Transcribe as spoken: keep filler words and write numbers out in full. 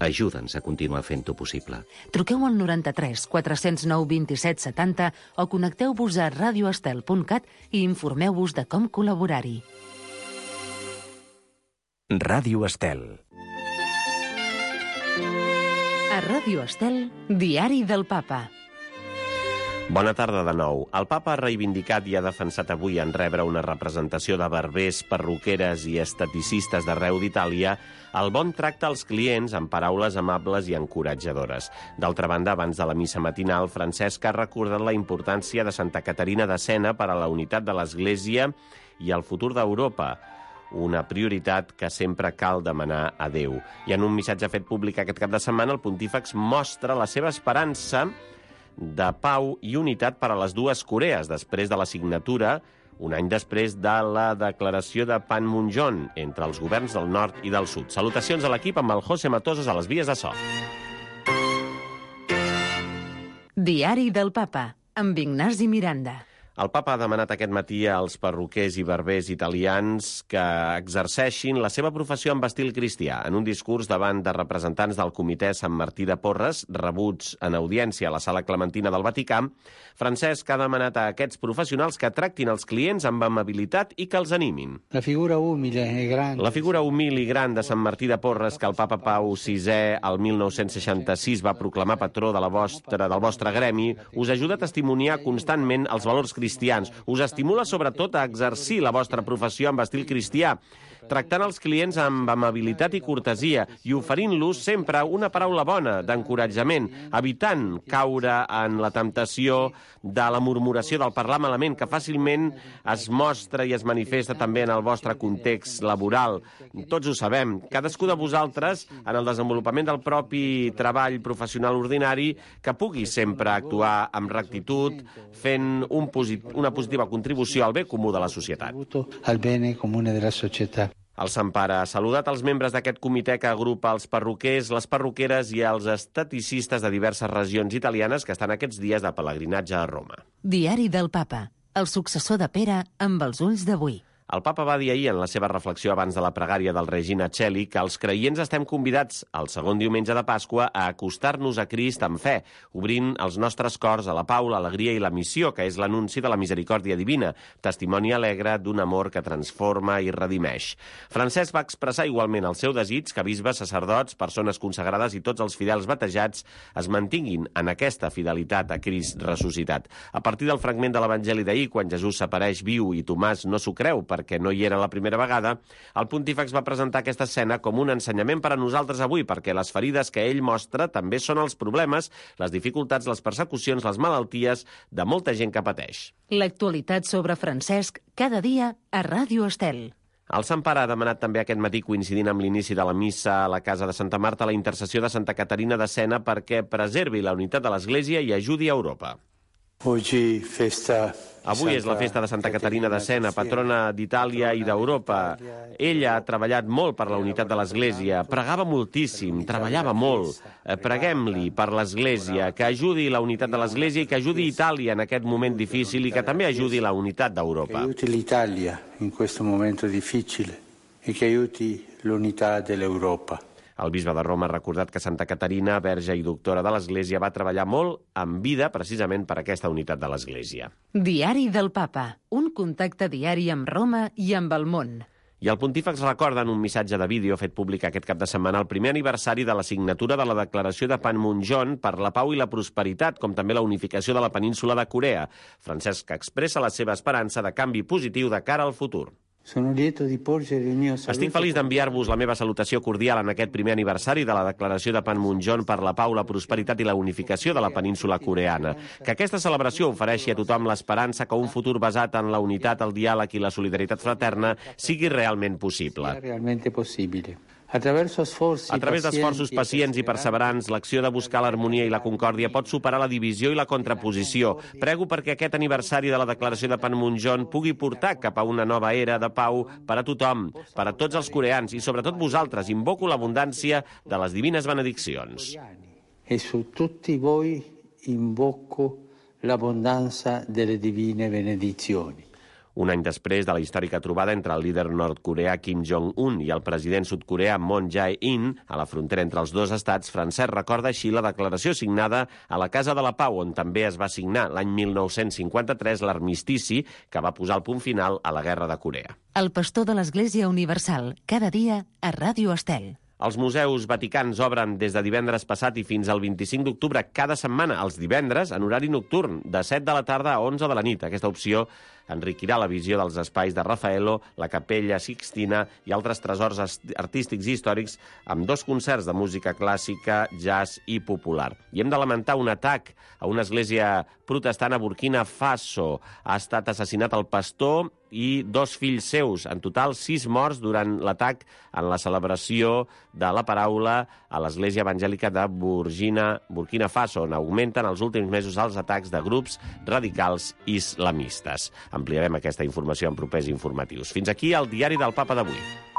Ajuda'ns a continuar fent-ho possible. Truqueu al noranta-tres quatre cents nou vint-i-set setanta o connecteu-vos a radio estel punt cat i informeu-vos de com col·laborar-hi. Ràdio Estel. A Ràdio Estel, Diari del Papa. Bona tarda de nou. El papa ha reivindicat i ha defensat avui en rebre una representació de barbers, perruqueres i esteticistes d'arreu d'Itàlia el bon tracte als clients amb paraules amables i encoratjadores. D'altra banda, abans de la missa matinal, Francesc ha recordat la importància de Santa Caterina de Siena per a la unitat de l'Església i el futur d'Europa, una prioritat que sempre cal demanar a Déu. I en un missatge fet públic aquest cap de setmana, el pontífex mostra la seva esperança de pau i unitat per a les dues Corees, després de la signatura, un any després de la declaració de Panmunjom entre els governs del nord i del sud. Salutacions a l'equip amb el José Matosos a les vies de so. Diari del Papa, amb Ignasi Miranda. El papa ha demanat aquest matí als perruquers i barbers italians que exerceixin la seva professió amb estil cristià. En un discurs davant de representants del Comitè Sant Martí de Porres, rebuts en audiència a la Sala Clementina del Vaticà, Francesc ha demanat a aquests professionals que tractin els clients amb amabilitat i que els animin. La figura humile e grande. La figura humil i gran de Sant Martí de Porres, que el papa Pau sisè al mil nou-cents seixanta-sis va proclamar patró de la vostra, del vostre gremi, us ajuda a testimoniar constantment els valors cristians cristians. Us estimula sobretot a exercir la vostra professió amb estil cristià, tractant els clients amb amabilitat i cortesia i oferint-los sempre una paraula bona, d'encoratjament, evitant caure en la temptació de la murmuració, del parlar malament, que fàcilment es mostra i es manifesta també en el vostre context laboral. Tots ho sabem. Cadascú de vosaltres, en el desenvolupament del propi treball professional ordinari, que pugui sempre actuar amb rectitud, fent un posit- una positiva contribució al bé comú de la societat. Al bene comune della società. El Sant Pare ha saludat els membres d'aquest comitè que agrupa els perruquers, les perruqueres i els esteticistes de diverses regions italianes que estan aquests dies de pelegrinatge a Roma. Diari del Papa, el successor de Pere amb els ulls d'avui. El papa va dir ahir en la seva reflexió abans de la pregària del Regina Coeli que els creients estem convidats, el segon diumenge de Pasqua, a acostar-nos a Crist amb fe, obrint els nostres cors a la pau, l'alegria i la missió, que és l'anunci de la misericòrdia divina, testimoni alegre d'un amor que transforma i redimeix. Francesc va expressar igualment el seu desig que bisbes, sacerdots, persones consagrades i tots els fidels batejats es mantinguin en aquesta fidelitat a Crist ressuscitat. A partir del fragment de l'Evangeli d'ahir, quan Jesús s'apareix viu i Tomàs no s'ho creu perquè no hi era la primera vegada, el pontífex va presentar aquesta escena com un ensenyament per a nosaltres avui, perquè les ferides que ell mostra també són els problemes, les dificultats, les persecucions, les malalties de molta gent que pateix. L'actualitat sobre Francesc, cada dia a Ràdio Estel. El Sant Pare ha demanat també aquest matí, coincidint amb l'inici de la missa a la casa de Santa Marta, la intercessió de Santa Caterina de Siena perquè preservi la unitat de l'Església i ajudi a Europa. Oggi festa Avui és la festa de Santa Caterina de Siena, patrona d'Itàlia i d'Europa. Ella ha treballat molt per la unitat de l'Església, pregava moltíssim, treballava molt. Preguem-li per l'Església, que ajudi la unitat de l'Església i que ajudi Itàlia en aquest moment difícil i que també ajudi la unitat d'Europa. Que aiuti l'Italia in questo momento difficile e che aiuti l'unità dell'Europa. El bisbe de Roma ha recordat que Santa Caterina, verge i doctora de l'Església, va treballar molt en vida precisament per aquesta unitat de l'Església. Diari del Papa, un contacte diari amb Roma i amb el món. I el pontífex recorda en un missatge de vídeo fet públic aquest cap de setmana el primer aniversari de la signatura de la declaració de Panmunjom per la pau i la prosperitat, com també la unificació de la península de Corea. Francesc expressa la seva esperança de canvi positiu de cara al futur. Estic feliç d'enviar-vos la meva salutació cordial en aquest primer aniversari de la declaració de Panmunjom per la pau, la prosperitat i la unificació de la península coreana. Que aquesta celebració ofereixi a tothom l'esperança que un futur basat en la unitat, el diàleg i la solidaritat fraterna sigui realment possible. A través d'esforços pacients i perseverants, l'acció de buscar l'harmonia i la concòrdia pot superar la divisió i la contraposició. Prego perquè aquest aniversari de la declaració de Panmunjom pugui portar cap a una nova era de pau per a tothom, per a tots els coreans i sobretot vosaltres. Invoco l'abundància de les divines benediccions. E su tutti voi invoco l'abbondanza delle divine benedizioni. Un any després de la històrica trobada entre el líder nord-coreà Kim Jong-un i el president sud-coreà Moon Jae-in a la frontera entre els dos estats, Francesc recorda així la declaració signada a la Casa de la Pau, on també es va signar l'any mil nou-cents cinquanta-tres l'armistici que va posar el punt final a la Guerra de Corea. El pastor de l'Església Universal, cada dia a Ràdio Estel. Els museus vaticans obren des de divendres passat i fins al vint-i-cinc d'octubre cada setmana, els divendres, en horari nocturn, de set de la tarda a onze de la nit. Aquesta opció enriquirà la visió dels espais de Raffaello, la Capella Sixtina i altres tresors artístics i històrics amb dos concerts de música clàssica, jazz i popular. I hem de lamentar un atac a una església protestant a Burkina Faso. Ha estat assassinat el pastor i dos fills seus. En total, sis morts durant l'atac en la celebració de la paraula a l'església evangèlica de Burkina, Burkina Faso, on augmenten els últims mesos els atacs de grups radicals islamistes. Ampliarem aquesta informació en propers informatius. Fins aquí el Diari del Papa d'avui.